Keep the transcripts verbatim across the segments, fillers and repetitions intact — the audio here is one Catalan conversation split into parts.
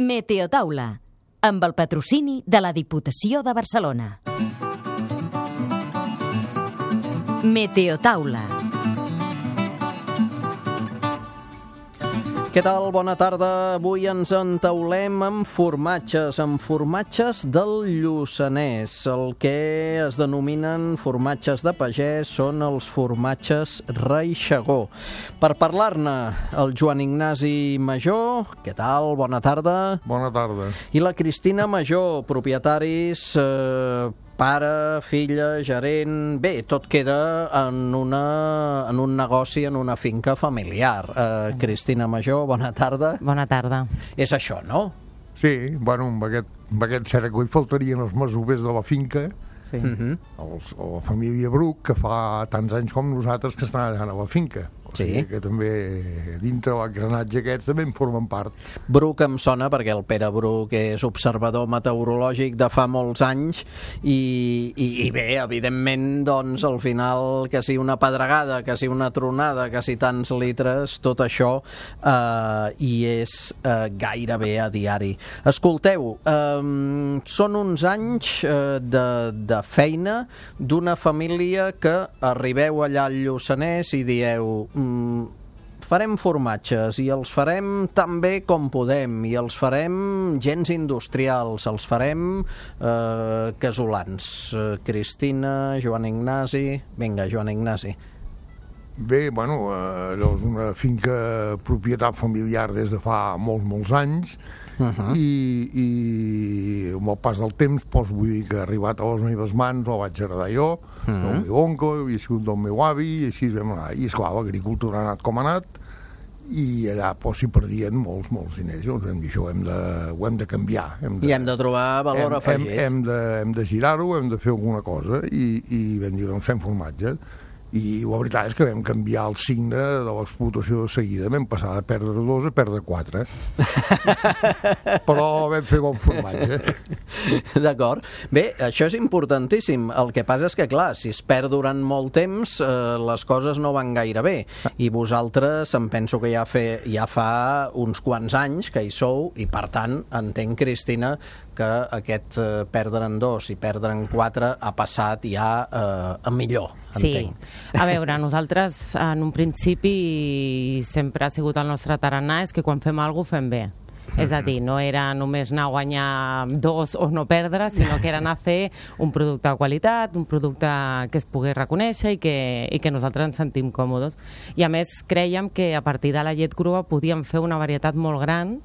Meteotaula, amb el patrocini de la Diputació de Barcelona. Meteotaula. Què tal? Bona tarda. Avui ens entaulem amb formatges, amb formatges del Lluçanès. El que es denominen formatges de pagès són els formatges Reixegó. Per parlar-ne, el Joan Ignasi Major. Què tal? Bona tarda. Bona tarda. I la Cristina Major, propietaris... Eh, pare, filla, gerent... Bé, tot queda en, una, en un negoci, en una finca familiar. Uh, Cristina Major, bona tarda. Bona tarda. És això, no? Sí, bueno, amb aquest, amb aquest cert que hi faltarien els masovers de la finca, Sí. uh-huh. els, la família Bruc, que fa tants anys com nosaltres que estan allà a la finca. O sigui Sí. que també dintre l'engranatge aquest també en formen part. Bruc em sona perquè el Pere Bruc és observador meteorològic de fa molts anys i, i, i bé, evidentment, doncs, al final, que si una pedregada, que si una tronada, que si tants litres, tot això eh, hi és eh, gairebé a diari. Escolteu, eh, són uns anys eh, de, de feina d'una família que arribeu allà al Lluçanès i dieu... farem formatges i els farem tan bé com podem i els farem gens industrials, els farem eh, casolans. Eh, Cristina, Joan Ignasi... Vinga, Joan Ignasi. Bé, bueno, eh, allò és una finca propietat familiar des de fa molts, molts anys, uh-huh. i, i amb el pas del temps, doncs, vull dir que ha arribat a les meves mans, el vaig heredar jo, uh-huh. del meu oncle, havia sigut del meu avi, i així vam anar. I, esclar, l'agricultura ha anat com ha anat, i allà doncs, s'hi perdien molts, molts diners. Llavors vam dir, això ho hem de, ho hem de canviar. Hem de, I hem de trobar valor hem, afegit. Hem, hem de, hem de girar-ho, hem de fer alguna cosa, i, i vam dir, doncs fem formatges. I la veritat és que vam canviar el signe de l'explotació de seguida. Vam passar de perdre dos a perdre quatre. Però vam fer bon formatge. D'acord. Bé, això és importantíssim. El que passa és que, clar, si es perd durant molt temps, eh, les coses no van gaire bé. I vosaltres, em penso que ja, fe, ja fa uns quants anys que hi sou, i per tant, entenc, Cristina, que aquest eh, perdre en dos i perdre en quatre ha passat ja eh, a millor, entenc. Sí. A veure, nosaltres en un principi sempre ha sigut el nostre tarannà és que quan fem alguna cosa fem bé. És a dir, no era només anar a guanyar dos o no perdre, sinó que era anar a fer un producte de qualitat, un producte que es pogués reconèixer i que, i que nosaltres ens sentim còmodes. I a més crèiem que a partir de la llet crua podíem fer una varietat molt gran,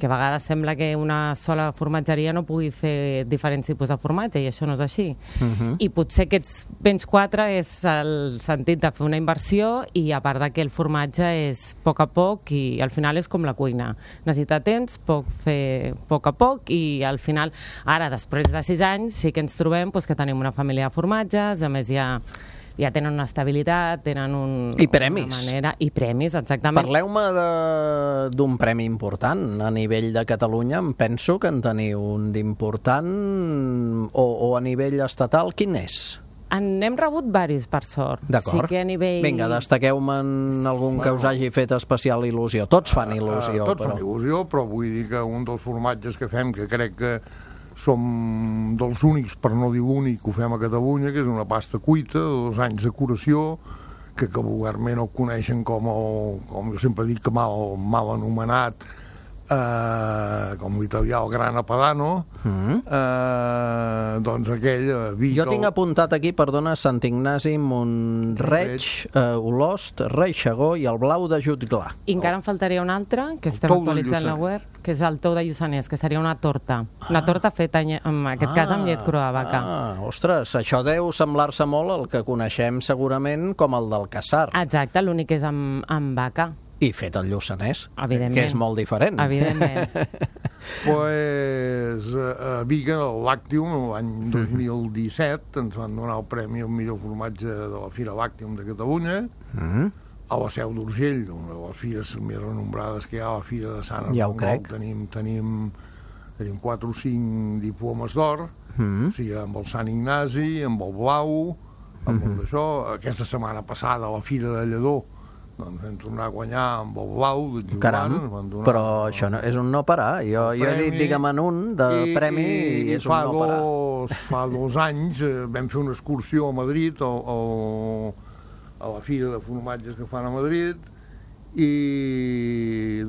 que a vegades sembla que una sola formatgeria no pugui fer diferents tipus de formatge, i això no és així. Uh-huh. I potser aquests béns quatre és el sentit de fer una inversió, i a part de que el formatge és a poc a poc, i al final és com la cuina. Necessita temps, poc fer a poc a poc, i al final, ara, després de sis anys, sí que ens trobem doncs, que tenim una família de formatges, a més ja... ja tenen una estabilitat, tenen un, I premis. una manera... I premis, exactament. Parleu-me d'un premi important a nivell de Catalunya. Em penso que en teniu un d'important, o, o a nivell estatal. Quin és? En hem rebut varis, per sort. D'acord. Sí que a nivell... Vinga, destaqueu-me'n algun Bueno. que us hagi fet especial il·lusió. Tots fan il·lusió, Uh, tots però... fan il·lusió, però vull dir que un dels formatges que fem, que crec que som dels únics, per no dir l'únic, que ho fem a Catalunya, que és una pasta cuita de dos anys de curació, que, que vulgarment el coneixen com, el, com jo sempre dic, que mal, mal anomenat, eh, com l'italià el Grana Padano, mm. eh, doncs aquell... Eh, Vic, jo tinc el... apuntat aquí, perdona, Sant Ignasi, Montreig, eh, Olost, Reixegó i el Blau de Jutglar. I encara em faltaria un altre, que El estem tou de actualitzant la Lluçanès. web, que és el tou de Lluçanès, que seria una torta. Una torta feta, en aquest cas, amb llet crua de vaca. Ah, ostres, això deu semblar-se molt al que coneixem segurament com el del Caçar. Exacte, l'únic és amb, amb vaca. I fet al Lluçanès, Evidentment. que és molt diferent. Evidentment. Pues, a Viga, el Làctium, l'any dos mil disset, ens van donar el premi al millor formatge de la Fira Làctium de Catalunya, mm. a la Seu d'Urgell, una de les fires més renombrades que hi ha, la Fira de Sant Ja ho Armengol. crec. Tenim, tenim, tenim quatre o cinc diplomes d'or, mm. o sigui, amb el Sant Ignasi, amb el Blau, amb mm-hmm. el d'això. Aquesta setmana passada, a la Fira de Lledó, doncs vam tornar a guanyar amb el blau de Joan. Caram, donar, però això no, és un no parar. Jo, jo he dit, digue'm, en un de i, premi i, i és un no parar. Dos, fa dos anys eh, vam fer una excursió a Madrid, o, o, a la fira de formatges que fan a Madrid, i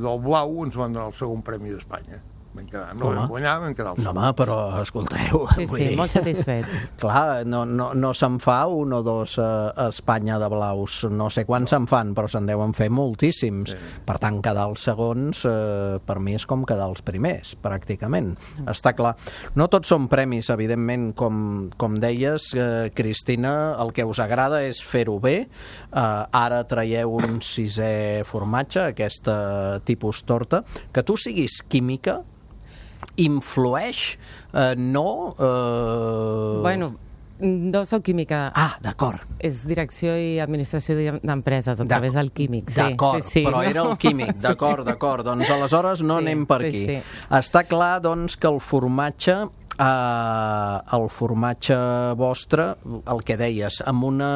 del blau ens van donar el segon premi d'Espanya. Vam quedar, no home. vam guanyar, vam quedar el No, segon. home, però escolteu... Sí, vull sí, dir, molt satisfet. Clar, no, no, no se'n fa un o dos a, a Espanya de blaus. No sé quants se'n fan, però se'n deuen fer moltíssims. Sí. Per tant, quedar els segons, eh, per mi és com quedar els primers, pràcticament. Mm. Està clar. No tots són premis, evidentment, com, com deies, eh, Cristina, el que us agrada és fer-ho bé. Eh, ara traieu un sisè formatge, aquesta tipus torta. Que tu siguis química influeix, eh, no... Eh... Bueno, no soc química. Ah, d'acord. És direcció i administració d'empreses a través del químic. Sí, d'acord, sí, sí. però era el químic, d'acord, d'acord. Doncs aleshores no Sí, anem per sí, aquí. sí. Està clar, doncs, que el formatge Uh, el formatge vostre, el que deies, amb una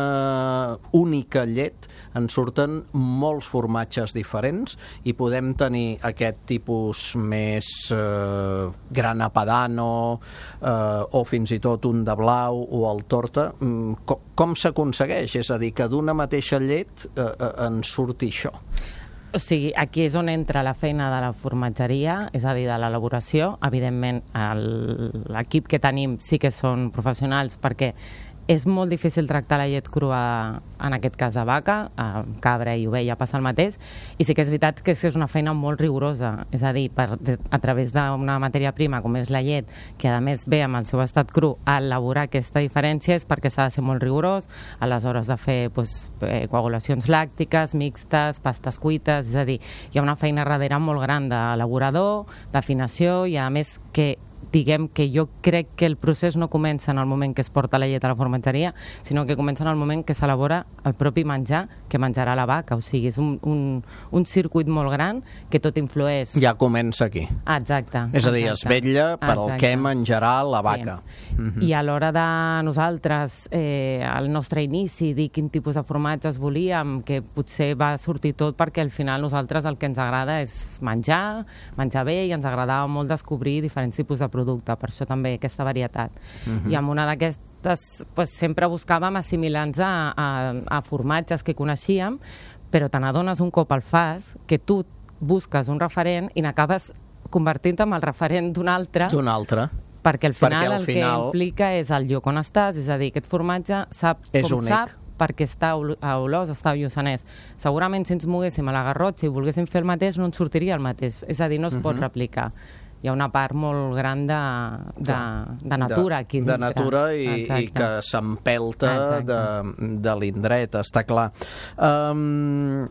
única llet en surten molts formatges diferents i podem tenir aquest tipus més uh, grana padano uh, o fins i tot un de blau o el torta. Mm, com com s'aconsegueix? És a dir, que d'una mateixa llet uh, uh, en surti això. O sigui, aquí és on entra la feina de la formatgeria, és a dir, de l'elaboració. Evidentment, l'equip que tenim sí que són professionals, perquè és molt difícil tractar la llet crua, en aquest cas de vaca, cabra i ovella passa el mateix, i sí que és veritat que és una feina molt rigorosa, és a dir, per, a través d'una matèria prima com és la llet, que a més ve amb el seu estat cru, a elaborar aquesta diferència és perquè s'ha de ser molt rigorós a les hores de fer pues, eh, coagulacions làctiques, mixtes, pastes cuites, és a dir, hi ha una feina darrere molt gran d'elaborador, d'afinació, i a més que diguem que jo crec que el procés no comença en el moment que es porta la llet a la formatgeria, sinó que comença en el moment que s'elabora el propi menjar que menjarà la vaca. O sigui, és un, un, un circuit molt gran que tot influeix. Ja comença aquí. Ah, exacte. És a dir, es vetlla per al exacte. què menjarà la vaca. Sí. Mm-hmm. I a l'hora de nosaltres, eh, al nostre inici, dir quin tipus de formatges volíem, que potser va sortir tot perquè al final nosaltres el que ens agrada és menjar, menjar bé, i ens agradava molt descobrir diferents tipus de producte, per això també aquesta varietat. Mm-hmm. I amb una d'aquestes pues, sempre buscàvem assimilar-nos a, a, a formatges que coneixíem, però te n'adones un cop al fas que tu busques un referent i n'acabes convertint-te en el referent d'un altre. D'un altre. Perquè al final, perquè al el final... que implica és el lloc on estàs, és a dir, aquest formatge sap és com únic. sap perquè està a Olós, està a Lluçanès. Segurament si ens moguéssim a la Garrotxa i volguéssim fer el mateix no ens sortiria el mateix, és a dir, no es uh-huh. pot replicar. Hi ha una part molt gran de, de, de natura aquí dintre. De natura i, i que s'empelta de, de l'indret, està clar. Um,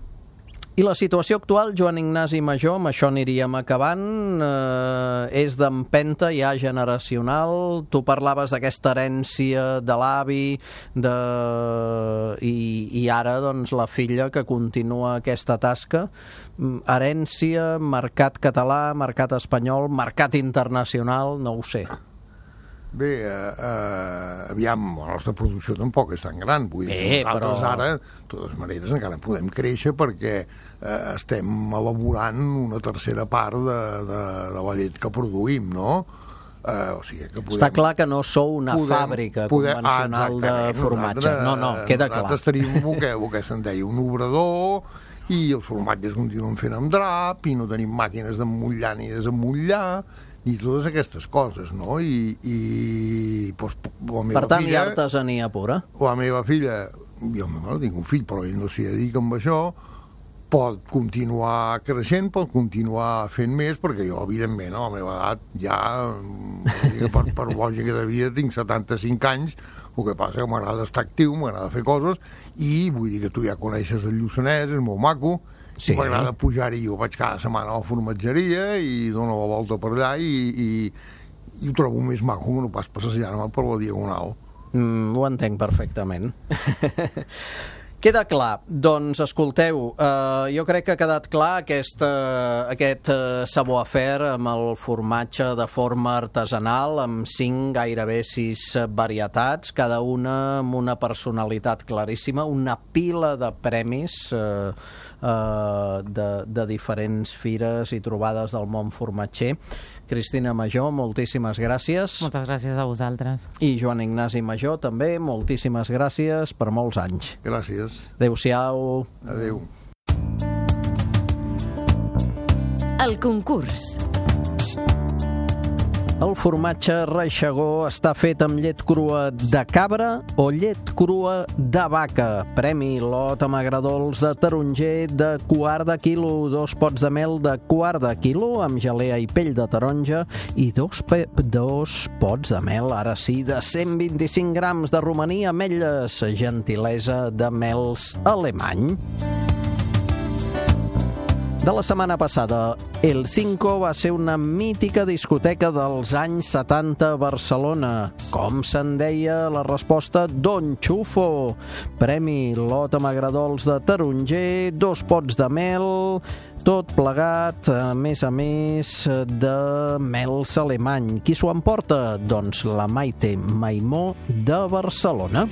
I la situació actual, Joan Ignasi Majó, amb això aniríem acabant, eh, és d'empenta ja generacional. Tu parlaves d'aquesta herència de l'avi de... I, i ara doncs, la filla que continua aquesta tasca. Herència, mercat català, mercat espanyol, mercat internacional, no ho sé. Bé, eh, eh, aviam, la nostra producció tampoc és tan gran, vull dir, Bé, nosaltres però... ara, de totes maneres, encara podem créixer perquè eh, estem elaborant una tercera part de, de, de la llet que produïm, no? Eh, o sigui que podem... Està clar que no sou una podem, fàbrica podem, convencional ah, de formatge. No, no, queda clar. Nosaltres tenim el que, el que se'n deia un obrador i els formatges continuen fent amb drap i no tenim màquines d'emmotllar ni desemmotllar i totes aquestes coses, no? I, i doncs, la meva per tant, filla, hi ha artesania pura. La meva filla, jo bueno, tinc un fill, però ell no s'hi dedica amb això, pot continuar creixent, pot continuar fent més, perquè jo, evidentment, a la meva edat, ja, per, per lògica de vida, tinc setanta-cinc anys, el que passa que m'agrada estar actiu, m'agrada fer coses, i vull dir que tu ja coneixes el Lluçanès, és molt maco, sí. M'agrada pujar-hi, jo vaig cada setmana a la formatgeria i dono la volta per allà i, i, i ho trobo més maco que no pas passejar-me per la Diagonal. Mm, ho entenc perfectament. Queda clar. Doncs, escolteu, eh, jo crec que ha quedat clar aquesta, aquest eh, savoir-faire amb el formatge de forma artesanal, amb cinc, gairebé sis varietats, cada una amb una personalitat claríssima, una pila de premis eh, eh, de, de diferents fires i trobades del món formatger. Cristina Majó, moltíssimes gràcies. Moltes gràcies a vosaltres. I Joan Ignasi Majó, també, moltíssimes gràcies per molts anys. Gràcies. Adéu-siau. Adéu. El concurs. El formatge Reixegó està fet amb llet crua de cabra o llet crua de vaca. Premi lot amb agradols de taronger de quart de quilo, dos pots de mel de quart de quilo amb gelea i pell de taronja i dos, pe dos pots de mel, ara sí, de cent vint-i-cinc grams de romaní, ametlles, gentilesa de mels alemany. De la setmana passada, El Cinco va ser una mítica discoteca dels anys setanta a Barcelona. Com se'n deia? La resposta, Don Chufo. Premi lot amb agradols de taronger, dos pots de mel, tot plegat, a més a més, de mels alemany. Qui s'ho emporta? Doncs la Maite Maimó de Barcelona.